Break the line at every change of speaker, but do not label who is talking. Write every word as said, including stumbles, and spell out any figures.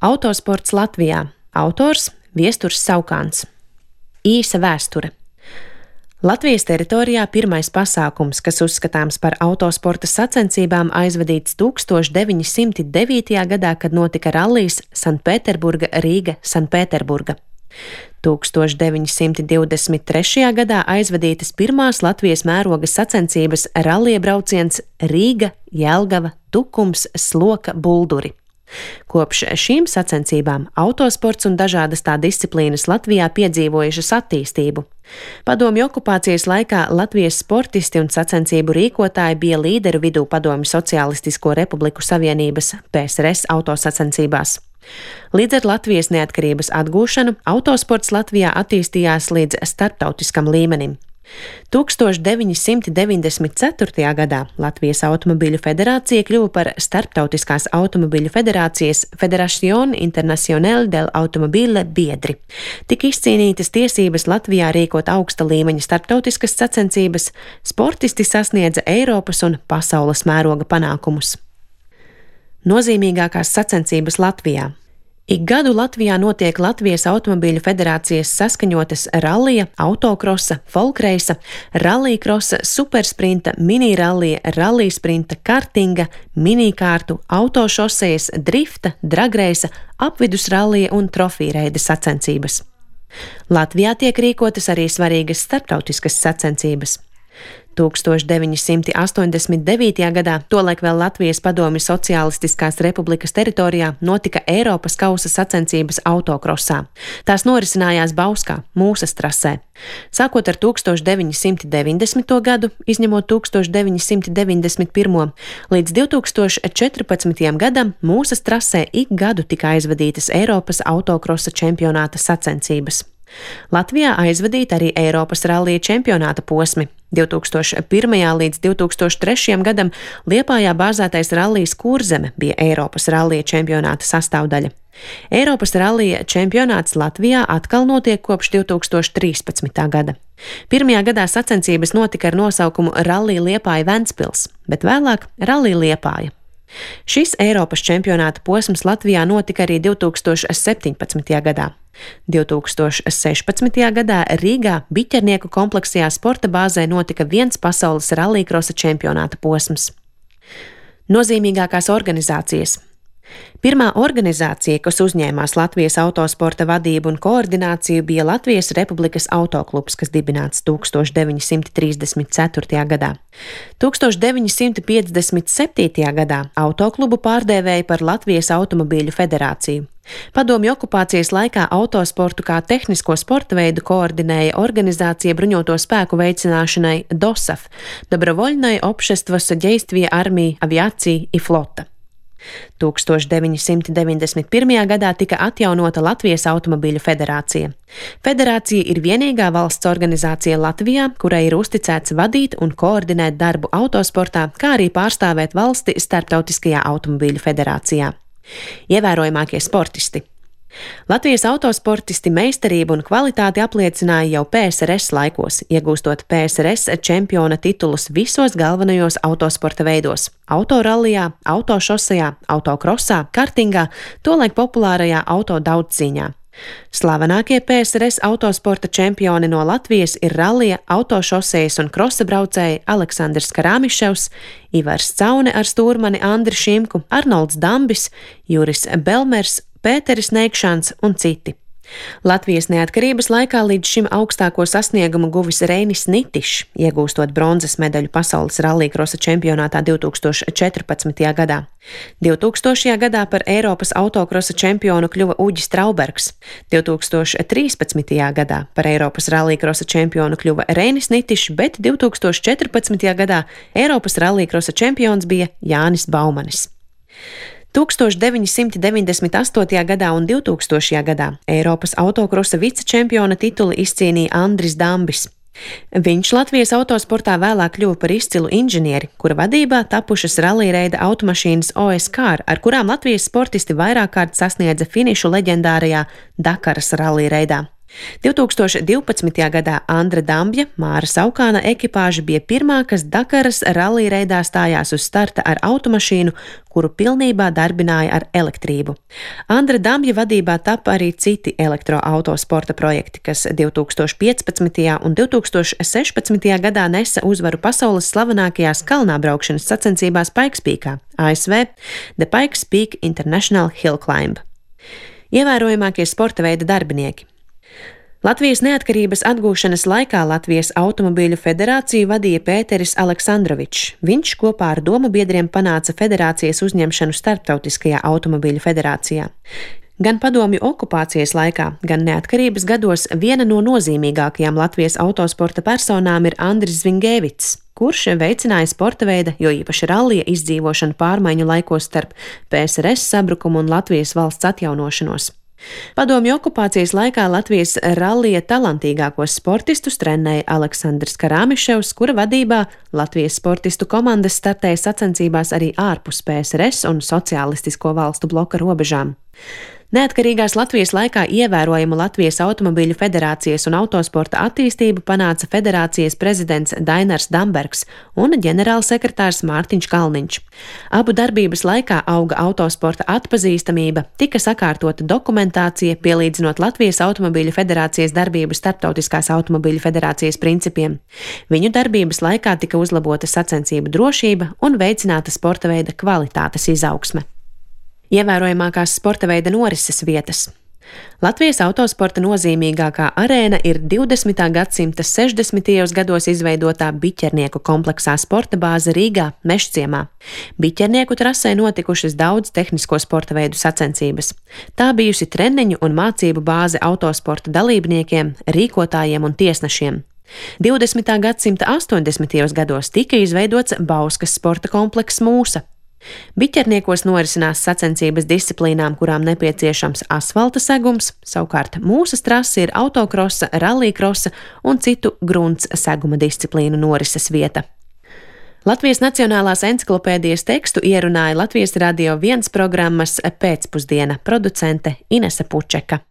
Autosports Latvijā. Autors Viesturs Saukāns. Īsa vēsture. Latvijas teritorijā pirmais pasākums, kas uzskatāms par autosporta sacensībām, aizvadīts tūkstoš deviņi simti devītajā gadā, kad notika rallijs Sanpēterburga Rīga Sanpēterburga. tūkstoš deviņi simti divdesmit trešajā gadā aizvadītas pirmās Latvijas mēroga sacensības rallija brauciens Rīga, Jelgava, Tukums, Sloka, Bulduri. Kopš šīm sacensībām autosports un dažādas tā disciplīnas Latvijā piedzīvojušas attīstību. Padomju okupācijas laikā Latvijas sportisti un sacensību rīkotāji bija līderu vidū Padomju Socialistisko Republiku Savienības P S R S autosacensībās. Līdz ar Latvijas neatkarības atgūšanu autosports Latvijā attīstījās līdz starptautiskam līmenim. tūkstoš deviņi simti deviņdesmit ceturtajā gadā Latvijas Automobiļu federācija kļuva par Starptautiskās automobiļu federācijas Federación Internacional del Automobile biedri. Tik izcīnītas tiesības Latvijā rīkot augsta līmeņa starptautiskas sacensības, sportisti sasniedza Eiropas un pasaules mēroga panākumus. Nozīmīgākās sacensības Latvijā. Ik gadu Latvijā notiek Latvijas Automobiļu federācijas saskaņotas rallija, autokrosa, folkreisa, rallijkrosa, supersprinta, minirallija, rallijsprinta, kartinga, minikārtu, autošosejas, drifta, dragreisa, apvidusrallija un trofīreida sacensības. Latvijā tiek rīkotas arī svarīgas starptautiskas sacensības. tūkstoš deviņi simti astoņdesmit devītajā gadā, tolaik vēl Latvijas Padomju Socialistiskās Republikas teritorijā, notika Eiropas kausa sacensības autokrosā. Tās norisinājās Bauskā, Mūsas trasē. Sākot ar tūkstoš deviņi simti deviņdesmito gadu, izņemot tūkstoš deviņi simti deviņdesmit pirmo, līdz divtūkstoš četrpadsmitajam gadam Mūsas trasē ik gadu tika aizvadītas Eiropas autokrosa čempionāta sacensības. Latvijā aizvadīta arī Eiropas rallija čempionāta posmi. divtūkstoš pirmajā līdz divtūkstoš trešajam gadam Liepājā bāzētais rallijs Kurzeme bija Eiropas rallija čempionāta sastāvdaļa. Eiropas rallija čempionāts Latvijā atkal notiek kopš divtūkstoš trīspadsmitā gada. Pirmajā gadā sacensības notika ar nosaukumu Rallija Liepāja Ventspils, bet vēlāk Rallija Liepāja. Šis Eiropas čempionāta posms Latvijā notika arī divtūkstoš septiņpadsmitajā gadā. divtūkstoš sešpadsmitajā gadā Rīgā Biķernieku kompleksajā sporta bāzē notika viens pasaules rallijkrosa čempionāta posms. Nozīmīgākās organizācijas. Pirmā organizācija, kas uzņēmās Latvijas autosporta vadību un koordināciju, bija Latvijas Republikas autoklubs, kas dibināts tūkstoš deviņi simti trīsdesmit ceturtajā gadā. tūkstoš deviņi simti piecdesmit septītajā gadā autoklubu pārdēvēja par Latvijas Automobiļu federāciju. Padomju okupācijas laikā autosportu kā tehnisko sporta veidu koordinēja organizācija bruņoto spēku veicināšanai DOSAF – Dobrovoļnai Obšestvo Soģejstvija Armija Aviācija i Flota. tūkstoš deviņi simti deviņdesmit pirmajā gadā tika atjaunota Latvijas Automobiļu federācija. Federācija ir vienīgā valsts organizācija Latvijā, kurai ir uzticēts vadīt un koordinēt darbu autosportā, kā arī pārstāvēt valsti Starptautiskajā automobiļu federācijā. Ievērojamākie sportisti. Latvijas autosportisti meistarību un kvalitāti apliecināja jau P S R S laikos, iegūstot P S R S čempiona titulus visos galvenajos autosporta veidos – autorallijā, autošosejā, autokrosā, kartingā, tolaik populārajā auto daudzcīņā. Slavenākie P S R S autosporta čempioni no Latvijas ir rallija, autošosejas un krosa braucēji Aleksandrs Karāmiševs, Ivars Caune ar stūrmani Andri Šimku, Arnolds Dambis, Juris Belmers, Pēteris Neikšans un citi. Latvijas neatkarības laikā līdz šim augstāko sasniegumu guvis Reinis Nitišs, iegūstot bronzas medaļu pasaules rallijkrosa čempionātā divtūkstoš četrpadsmitajā gadā. divtūkstošajā gadā par Eiropas autokrosa čempionu kļuva Uģis Traubergs. divtūkstoš trīspadsmitajā gadā par Eiropas rallijkrosa čempionu kļuva Reinis Nitišs, bet divtūkstoš četrpadsmitajā gadā Eiropas rallijkrosa čempions bija Jānis Baumanis. tūkstoš deviņi simti deviņdesmit astotajā gadā un divtūkstošajā gadā Eiropas autokrosa vicečempiona tituli izcīnīja Andris Dambis. Viņš Latvijas autosportā vēlāk kļuva par izcilu inženieri, kura vadībā tapušas rallija automašīnas O S Car, ar kurām Latvijas sportisti vairāk kārt sasniedza finišu leģendārajā Dakaras rallija reidā. divtūkstoš divpadsmitajā gadā Andra Dambja, Māra Saukāna ekipāža bija pirmā, kas Dakaras rallija reidā stājās uz starta ar automašīnu, kuru pilnībā darbināja ar elektrību. Andra Dambja vadībā tapa arī citi elektroautosporta projekti, kas divtūkstoš piecpadsmitajā un divtūkstoš sešpadsmitajā gadā nesa uzvaru pasaules slavenākajās kalnābraukšanas sacensībās Pikes Peakā, A S V The Pikes Peak International Hill Climb. Ievērojamākie sporta veida darbinieki. Latvijas neatkarības atgūšanas laikā Latvijas automobīļu federāciju vadīja Pēteris Aleksandrovičs. Viņš kopā ar domabiedriem panāca federācijas uzņemšanu Starptautiskajā automobīļu federācijā. Gan padomju okupācijas laikā, gan neatkarības gados viena no nozīmīgākajām Latvijas autosporta personām ir Andris Zvingevics, kurš veicināja sporta veida, jo īpaši rallija izdzīvošanu pārmaiņu laikos starp P S R S sabrukumu un Latvijas valsts atjaunošanos. Padomju okupācijas laikā Latvijas rallija talantīgākos sportistus trenēja Aleksandrs Karāmiševs, kura vadībā Latvijas sportistu komandas startēja sacensībās arī ārpus P S R S un sociālistisko valstu bloka robežām. Neatkarīgās Latvijas laikā ievērojamu Latvijas automobīļu federācijas un autosporta attīstību panāca federācijas prezidents Dainars Dambergs un ģenerālsekretārs Mārtiņš Kalniņš. Abu darbības laikā auga autosporta atpazīstamība, tika sakārtota dokumentācija, pielīdzinot Latvijas automobīļu federācijas darbību Starptautiskās automobīļu federācijas principiem. Viņu darbības laikā tika uzlabota sacensību drošība un veicināta sporta veida kvalitātes izaugsme. Ievērojamākās sporta veida norises vietas. Latvijas autosporta nozīmīgākā arēna ir divdesmitā gadsimta sešdesmitajos gados izveidotā Biķernieku kompleksā sporta bāze Rīgā, Mežciemā. Biķernieku trasē notikušas daudz tehnisko sporta veidu sacensības. Tā bijusi treniņu un mācību bāze autosporta dalībniekiem, rīkotājiem un tiesnešiem. divdesmitā gadsimta astoņdesmitajos gados tika izveidots Bauskas sporta komplekss Mūsa. Biķerniekos norisinās sacensības disciplīnām, kurām nepieciešams asfalta segums, savukārt Mūsas trase ir autokrosa, rallijkrosa un citu grunts seguma disciplīnu norises vieta. Latvijas Nacionālās enciklopēdijas tekstu ierunāja Latvijas Radio viens programmas Pēcpusdiena producente Inese Pučeka.